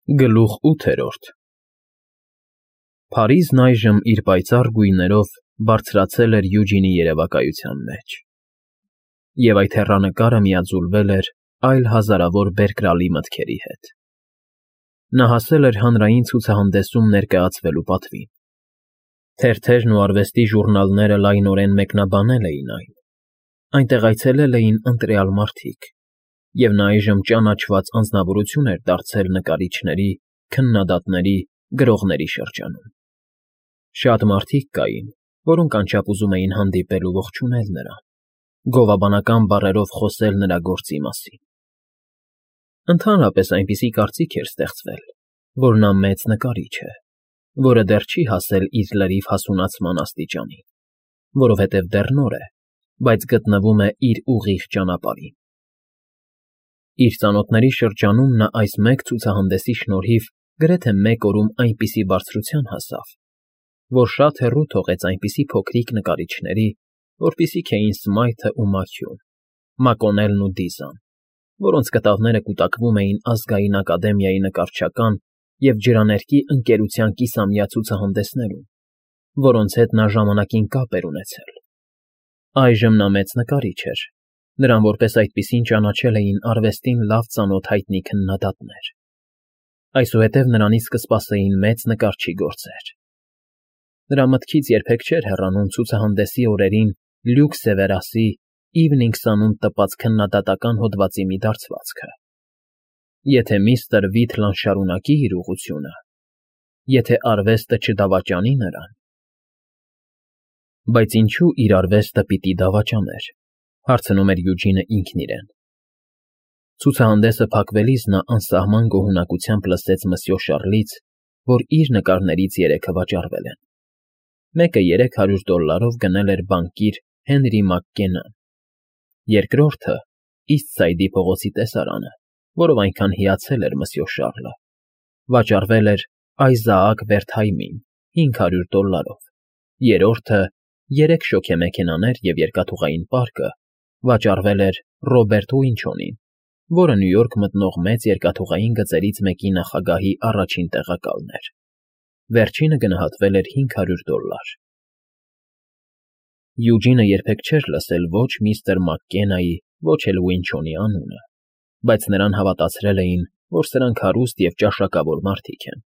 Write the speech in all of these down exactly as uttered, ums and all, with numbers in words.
Գլուխ ութերորդ Փարիզն այժմ իր պայծառ գույներով բարձրացել էր Յուջինի երևակայության մեջ, և այդ հեռանկարը միաձուլվել էր այլ հազարավոր բերկրալի մտքերի հետ. նա հասել էր հանրային ցուցահանդեսում ներկայացվելու պատվին, թերթերն ու արվեստի ժուռնալները լայնորեն մեկնաբանել էին այն, այնտեղ այցելել էին ընտրյալ մարդիկ, և նա այժմ ճանաչված անձնավորություն էր դարձել նկարիչների, քննադատների, գրողների շրջանում. շատ մարդիկ կային, որոնք անչափ ուզում էին հանդիպել ու ողջունել նրան, գովաբանական բառերով խոսել նրա գործի մասին. Ընդհանրապես այնպիսի կարծիք էր ստեղծվել, որ նա մեծ նկարիչ է, որը դեռ չի հասել իր լրիվ հասունացման աստիճանին, որովհետև դեռ նոր է, բայց գտնվում է իր ուղիղ ճանապարհին. Իր ծանոթների շրջանում նա այս մեկ ցուցահանդեսի շնորհիվ գրեթե մեկ օրում այնպիսի բարձրության հասավ, որ շատ հեռու թողեց այնպիսի փոքրիկ նկարիչների, որպիսիք էին Սմայթն ու Մաքյուն, Մակոնելն ու Դիզան, որոնց կտավները կուտակվում էին Ազգային ակադեմիայի նկարչական և ջրաներկի ընկերության կիսամյա ցուցահանդեսներում, որոնց հետ նա ժամանակին կապ էր ունեցել. այժմ նա մեծ նկարիչ էր, նրան որպես այդպիսին ճանաչել էին արվեստին լավ ծանոթ հայտնի քննադատներ, այսուհետև նրանից կսպասեին մեծ նկարչի գործեր. Նրա մտքից երբեք չէր հեռանում ցուցահանդեսի օրերին Լյուկ Սևերասի Evening Sun-ում տպած քննադատական հոդվածի մի դարձվածքը. Եթե միստր Վիթլան շարունակի իր ուղղությունը, եթե արվեստը չդավաճանի նրան… Բայց ինչո՞ւ իր արվեստը պիտի դավաճաներ, հարցնում էր Յուջինը ինքն իրեն. Ցուցահանդեսը փակվելիս նա անսահման գոհունակությամբ լսեց մսյո Շառլից, որ իր նկարներից երեքը վաճառվել են. մեկը երեք հարյուր դոլարով գնել էր բանկիր Հենրի Մակկենան, երկրորդը Իսթսայդի փողոցի տեսարանը, որով այնքան հիացել էր մսյո Շառլը, վաճառվել էր Այզաակ Վերթհայմին հինգ հարյուր դոլարով, երրորդը՝ երեք շոգեմեքենաներ և երկաթուղային պարկը, վաճառվել էր Ռոբերտ Ուինչոնին, որը Նյու Յորք մտնող մեծ երկաթուղային գծերից մեկի նախագահի առաջին տեղակալն էր, վերջինը գնահատվել էր հինգ հարյուր դոլար։ Յուջինը երբեք չէր լսել ոչ միստր Մակկենայի, ոչ էլ Ուինչոնի անունը, բայց նրան հավատացրել էին, որ սրանք հարուստ և ճաշակավոր մարդիկ են։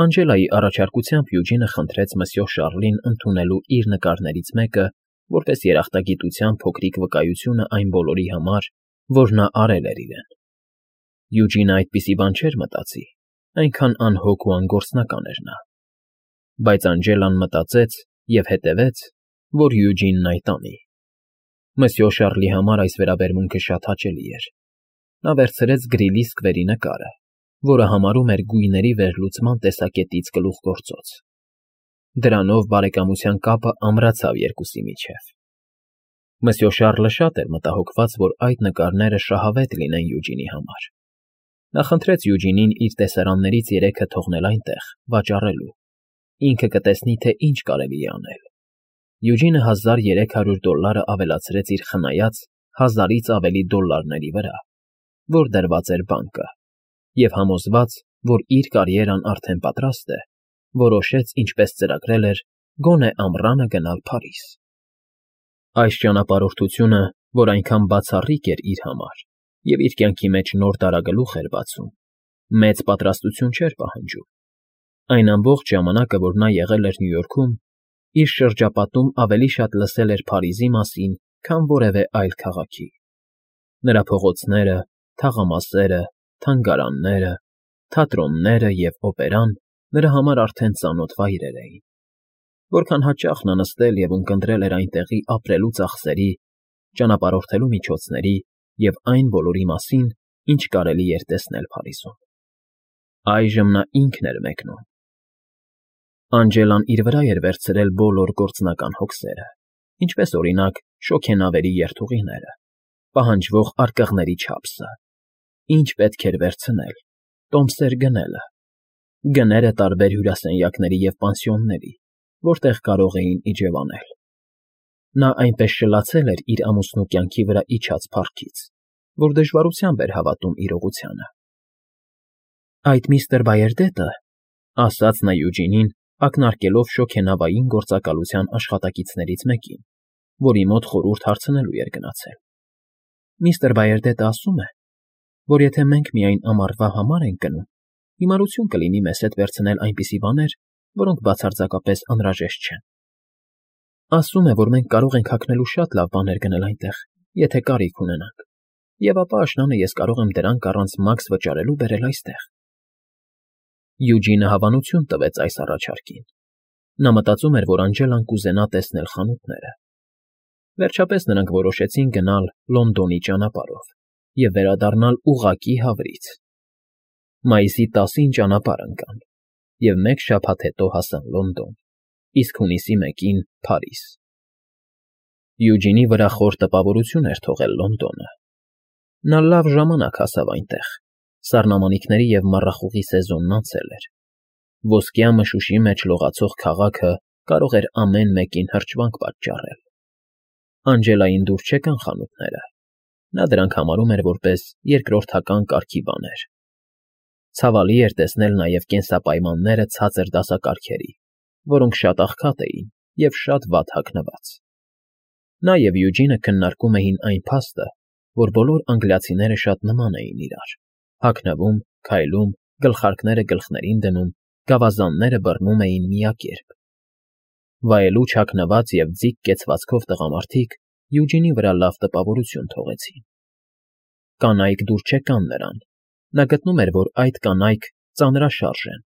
Անջելայի առաջարկությամբ Յուջինը խնդրեց մսյո Շառլին ընդունելու իր նկարներից մեկը որպես երախտագիտության փոքրիկ վկայությունը այն բոլորի համար, որ նա արել էր իրեն։ Յուջինը այդպիսի բան չէր մտածի, այնքան անհոգ ու անգործնական էր նա։ Բայց Անջելան մտածեց և հետևեց, որ Յուջինն այդ անի։ Մսյո Շառլի համար այս վերաբերմունքը շատ հաճելի էր։ Նա վերցրեց գրիլի սկվերի նկարը, որը համարում էր գույների վերլուծման տեսակետից գլուխգործոց։ Դրանով բարեկամության կապը ամրացավ երկուսի միջև։ Մսյո Շառլը շատ էր մտահոգված, որ այդ նկարները շահավետ լինեն Յուջինի համար։ Նա խնդրեց Յուջինին իր տեսարաններից երեքը թողնել այնտեղ, վաճառելու, ինքը կտեսնի, թե ինչ կարելի է անել։ Յուջինը հազար երեք հարյուր դոլարը ավելացրեց իր խնայած հազարից ավելի դոլարների վրա, որ դրված էր բանկը, և համոզված, որ իր կարիերան արդեն պատրաստ է, որոշեց, ինչպես ծրագրել էր, գոնե ամռանը գնալ Փարիզ։ Այս ճանապարհորդությունը, որ այնքան բացառիկ էր իր համար և իր կյանքի մեջ նոր դարագլուխ էր բացում, մեծ պատրաստություն չէր պահանջում։ Այն ամբողջ ժամանակը, որ նա եղել էր Նյու Յորքում, իր շրջապատում ավելի շատ լսել էր Փարիզի մասին, քան որևէ այլ քաղաքի։ Նրա փողոցները, թաղամասերը, թանգարանները, թատրոնները և օպերան նրա համար արդեն ծանոթ վայրեր էին։ Որքան հաճախ նա նստել և ունկնդրել էր այնտեղի ապրելու ծախսերի, ճանապարհորդելու միջոցների և այն բոլորի մասին, ինչ կարելի էր տեսնել Փարիզում։ Այժմ նա ինքն էր մեկնում։ Անջելան իր վրա էր վերցրել բոլոր գործնական հոգսերը, ինչպես, օրինակ, շոգենավերի երթուղիները, պահանջվող արկղների չափսը, ինչ պետք էր վերցնել, տոմսեր գնելը, գները տարբեր հյուրասենյակների և պանսիոնների, որտեղ կարող էին իջևանել։ Նա այնպես շլացել էր իր ամուսնու կյանքի վրա իջած փառքից, որ դժվարությամբ էր հավատում իրողությանը։ Այդ միստր Բայերդետը, ասաց նա Յուջինին, ակնարկելով շոգենավային գործակալության աշխատակիցներից մեկին, որի մոտ խորհուրդ հարցնելու էր գնացել։ Միստր Բայերդետը ասում է, որ եթե մենք միայն ամառվա համար ենք գնում, հիմարություն կլինի մեզ հետ վերցնել այնպիսի բաներ, որոնք բացարձակապես անհրաժեշտ չեն։ Ասում է, որ մենք կարող ենք հագնելու շատ լավ բաներ գնել այնտեղ, եթե կարիք ունենանք, և ապա աշնանը ես կարող եմ դրանք առանց մաքս վճարելու բերել այստեղ։ Յուջինը հավանություն տվեց այս առաջարկին։ Նա մտածում էր, որ Անջելան կուզենա տեսնել խանութները։ Վերջապես նրանք որոշեցին գնալ Լոնդոնի ճանապարհով և վերադառնալ ուղղակի Հավրից։ Մայիսի տասին ճանապարհ ընկան և մեկ շաբաթ հետո հասան Լոնդոն, իսկ հունիսի մեկին՝ Փարիզ։ Յուջինի վրա խոր տպավորություն էր թողել Լոնդոնը։ Նա լավ ժամանակ հասավ այնտեղ, սառնամանիքների և մառախուղի սեզոնն անցել էր։ Ոսկյա մշուշի մեջ լողացող քաղաքը կարող էր ամեն մեկին հրճվանք պատճառել։ Անջելային դուր չեկան խանութները։ Նա դրանք համարում էր որպես երկրորդական կարգի բաներ։ Ցավալի էր տեսնել նաև կենսապայմանները ցածր դասակարգերի, որոնք շատ աղքատ էին և շատ վատ հագնված։ Նա և Յուջինը քննարկում էին այն փաստը, որ բոլոր անգլիացիները շատ նման էին իրար՝ հագնվում, քայլում, գլխարկները գլխներին դնում, գավազանները բռնում էին միակերպ։ Վայելուչ հագնված և ձիգ կեցվածքով տղամարդիկ Յուջինի վրա լավ տպավորություն թողեցին։ Կանայք դուր չեկան նրան։ Նա գտնում էր, որ այդ կանայք ծանրաշարժ են,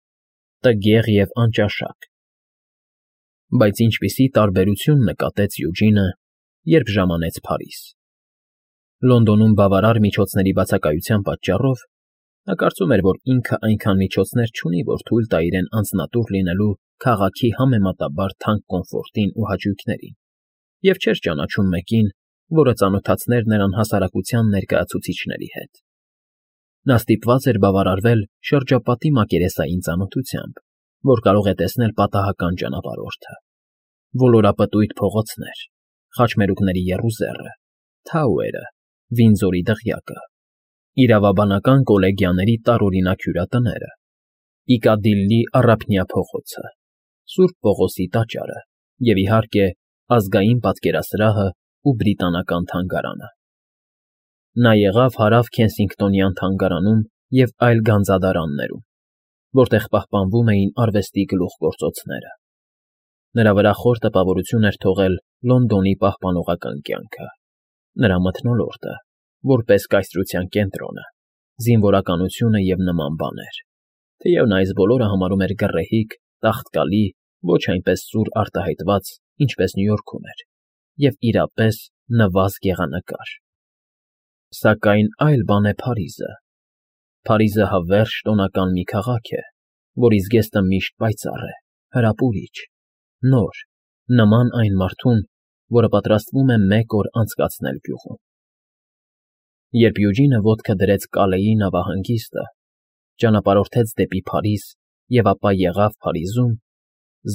տգեղ և անճաշակ։ Բայց ինչպիսի տարբերություն նկատեց Յուջինը, երբ ժամանեց Փարիզ։ Լոնդոնում բավարար միջոցների բացակայության պատճառով նա կարծում էր, որ ինքը այնքան միջոցներ չունի, որ թույլ տա իրեն անձնատուր լինելու քաղաքի համեմատաբար թանկ կոմֆորտին ու հաճույքներին, և չէր ճանաչում մեկին, որը ծանոթացներ նրան հասարակության ներկայացուցիչների հետ։ Նա ստիպված էր բավարարվել շրջապատի մակերեսային ծանոթությամբ, որ կարող է տեսնել պատահական ճանապարհորդը։ Ոլորապտույտ փողոցներ, խաչմերուկների եռուզեռը, Թաուերը, Վինձորի դղյակը, իրավաբանական կոլեգիաների տարօրինակ հյուրատները, Պիկադիլլի առափնյա փողոցը, Սուրբ Պողոսի տաճարը և, իհարկե, Ազգային պատկերասրահը ու Բրիտանական թանգարանը։ Նա եղավ Հարավ Քենսինգտոնյան թանգարանում և այլ գանձադարաններում, որտեղ պահպանվում էին արվեստի գլուխգործոցները։ Նրա վրա խոր տպավորություն էր թողել Լոնդոնի պահպանողական կյանքը, նրա մթնոլորտը, որպես կայսրության կենտրոնը, զինվորականությունը և նման բաներ, թեև նա այս բոլորը համարում էր գռեհիկ, տաղտկալի, ոչ այնպես սուր արտահայտված, ինչպես Նյու Յորքում էր, և իրապես նվազ գեղանկար։ Սակայն այլ բան է Փարիզը։ Փարիզը հավերժ տոնական մի քաղաք է, որի զգեստը միշտ պայծառ է, հրապուրիչ, նոր, նման այն մարդուն, որը պատրաստվում է մեկ օր անցկացնել գյուղում։ Երբ Յուջինը ոտքը դրեց Կալեի նավահանգիստը, ճանապարհորդեց դեպի Փարիզ և ապա եղավ Փարիզում,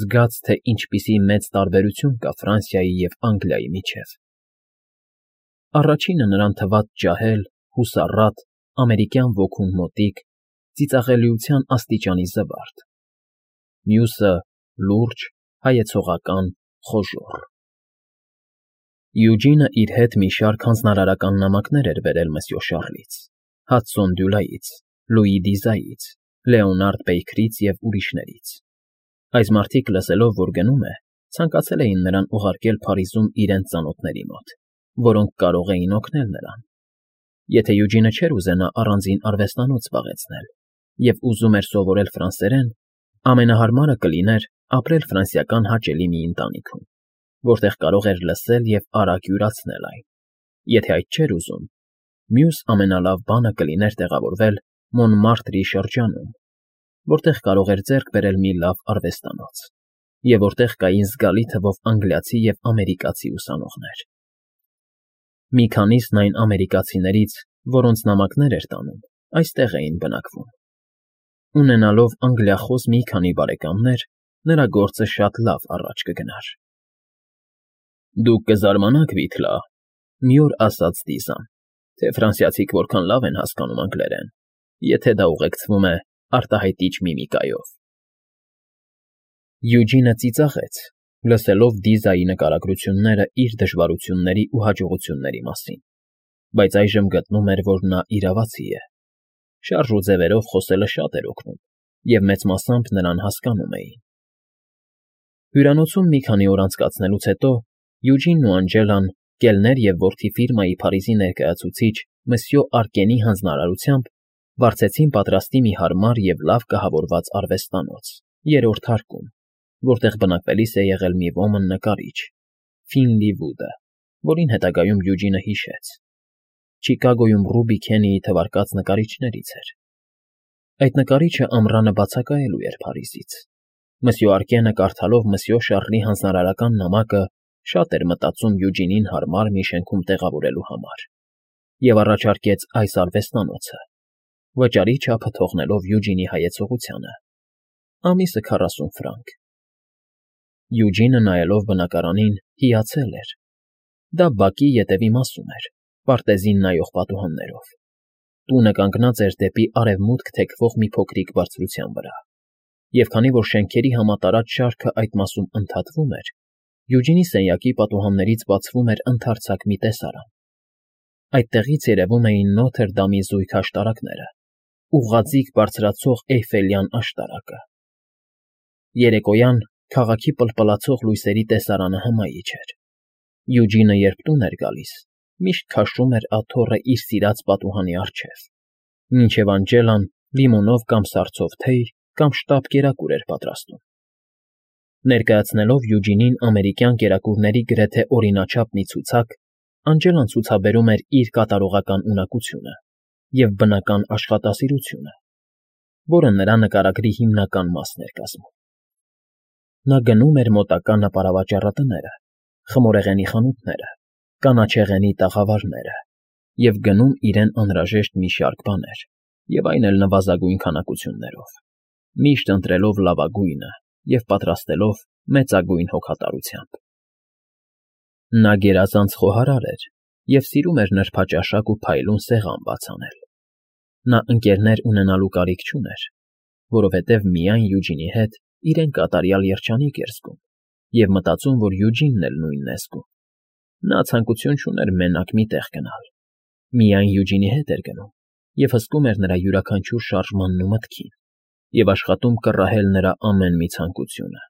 զգաց, թե ինչպիսի մեծ տարբերություն կա Ֆրանսիայի և Անգլիայի միջև։ Առաջինը նրան թվաց ջահել, հուսառատ, ամերիկյան ոգուն մոտիկ, ծիծաղելիության աստիճանի զվարթ, մյուսը՝ լուրջ, հայեցողական, խոժոռ։ Յուջինը իր հետ մի շարք հանձնարարական նամակներ էր բերել մսյո Շառլից, Հադսոն Դյուլայից, Լուի Դիզայից, Լեոնարդ Բեյքրից և ուրիշներից։ Այս մարդիկ, լսելով, որ գնում է, ցանկացել էին նրան ուղարկել Փարիզում իրենց ծանոթների մոտ, որոնք կարող էին օգնել նրան։ Եթե Յուջինը չէր ուզենա առանձին արվեստանոց զբաղեցնել և ուզում էր սովորել ֆրանսերեն, ամենահարմարը կլիներ ապրել ֆրանսիական հաճելի մի ընտանիքում, որտեղ կարող էր լսել և արագ յուրացնել այն։ Եթե այդ չէր ուզում, մյուս ամենալավ բանը կլիներ տեղավորվել Մոնմարտրի շրջանում, որտեղ կարող էր ձեռք բերել մի լավ արվեստանոց, և որտեղ կային զգալի թվով անգլիացի և ամերիկացի ուսանողներ։ Մի քանիսն այն ամերիկացիներից, որոնց նամակներ էր տանում, այստեղ էին բնակվում։ Ունենալով անգլիախոս մի քանի բարեկամներ, նրա գործը շատ լավ առաջ կգնար։ Դուք կզարմանաք, Վիթլա, մի օր ասաց Դիզան, թե ֆրանսիացիք որքան լավ են հասկանում անգլերեն, եթե դա ուղեկցվում է արտահայտիչ միմիկայով։ Յուջինը ծիծաղեց, լսելով Դիզայի նկարագրությունները իր դժվարությունների ու հաջողությունների մասին, բայց այժմ գտնում էր, որ նա իրավացի է։ Շարժ ու ձևերով խոսելը շատ էր օգնում, և մեծ մասամբ նրան հասկանում էին։ Հյուրանոցում մի քանի օր անցկացնելուց հետո Յուջինն ու Անջելան, կելներ և որդի ֆիրմայի Փարիզի ներկայացուցիչ մսյո Արկենի հանձնարարությամբ վարձեցին պատրաստի մի հարմար և լավ կահավորված արվեստանոց, երրորդ հարկում, որտեղ բնակվելիս է եղել մի ոմն նկարիչ՝ Ֆինլի Վուդը, որին հետագայում Յուջինը հիշեց. Չիկագոյում Ռուբի Քենիի թվարկած նկարիչներից էր։ Այդ նկարիչը ամռանը բացակայելու էր Փարիզից։ Մսյո Արկենը, կարդալով մսյո Շառլի հանձնարարական նամակը, շատ էր մտածում Յուջինին հարմար մի շենքում տեղավորելու համար և առաջարկեց այս արվեստանոցը, վճարի չափը թողնելով Յուջինի հայեցողությանը՝ ամիսը քառասուն ֆրանկ։ Յուջինը, նայելով բնակարանին, հիացել էր։ Դա բակի ետևի մասում էր, պարտեզին նայող պատուհաններով։ Տունը կանգնած էր դեպի արևմուտք թեքվող մի փոքրիկ բարձրության վրա, և քանի որ շենքերի համատարած շարքը այդ մասում ընդհատվում էր, Յուջինի սենյակի պատուհաններից բացվում էր ընդարձակ մի տեսարան։ Այդտեղից երևում էին Նոթր Դամի զույգ աշտարակները, ուղղաձիգ բարձրացող Էյֆելյան աշտարակը։ Երեկոյան քաղաքի պլպլացող լույսերի տեսարանը հմայիչ էր։ Յուջինը, երբ տուն էր գալիս, միշտ քաշում էր աթոռը իր սիրած պատուհանի առջև, մինչև Անջելան լիմոնով կամ սարցով թեյ կամ շտապ կերակուր էր պատրաստում։ Ներկայացնելով Յուջինին ամերիկյան կերակուրների գրեթե օրինաչափ մի ցուցակ, Անջելան ցուցաբերում էր իր կատարողական ունակությունը և բնական աշխատասիրությունը, որը նրա նկարագրի հիմնական մասն էր կազմում։ Նա գնում էր մոտակա նապարավաճառատները, խմորեղենի խանութները, կանաչեղենի տաղավարները և գնում իրեն անհրաժեշտ մի շարք բաներ, և այն էլ նվազագույն քանակություններով, միշտ ընտրելով լավագույնը և պատրաստելով մեծագույն հոգատարությամբ։ Նա գերազանց խոհարար էր և սիրում էր նրբաճաշակ ու փայլուն սեղան բաց անել։ Նա ընկերներ ունենալու կարիք չուներ, որովհետև միայն Յուջինի հետ իրեն կատարյալ երջանիկ էր զգում և մտածում, որ Յուջինն էլ նույնն է զգում։ Նա ցանկություն չուներ մենակ մի տեղ գնալ, միայն Յուջինի հետ էր գնում և հսկում էր նրա յուրաքանչյուր շարժմանն ու մտքին և աշխատում կռահել նրա ամեն մի ցանկությունը։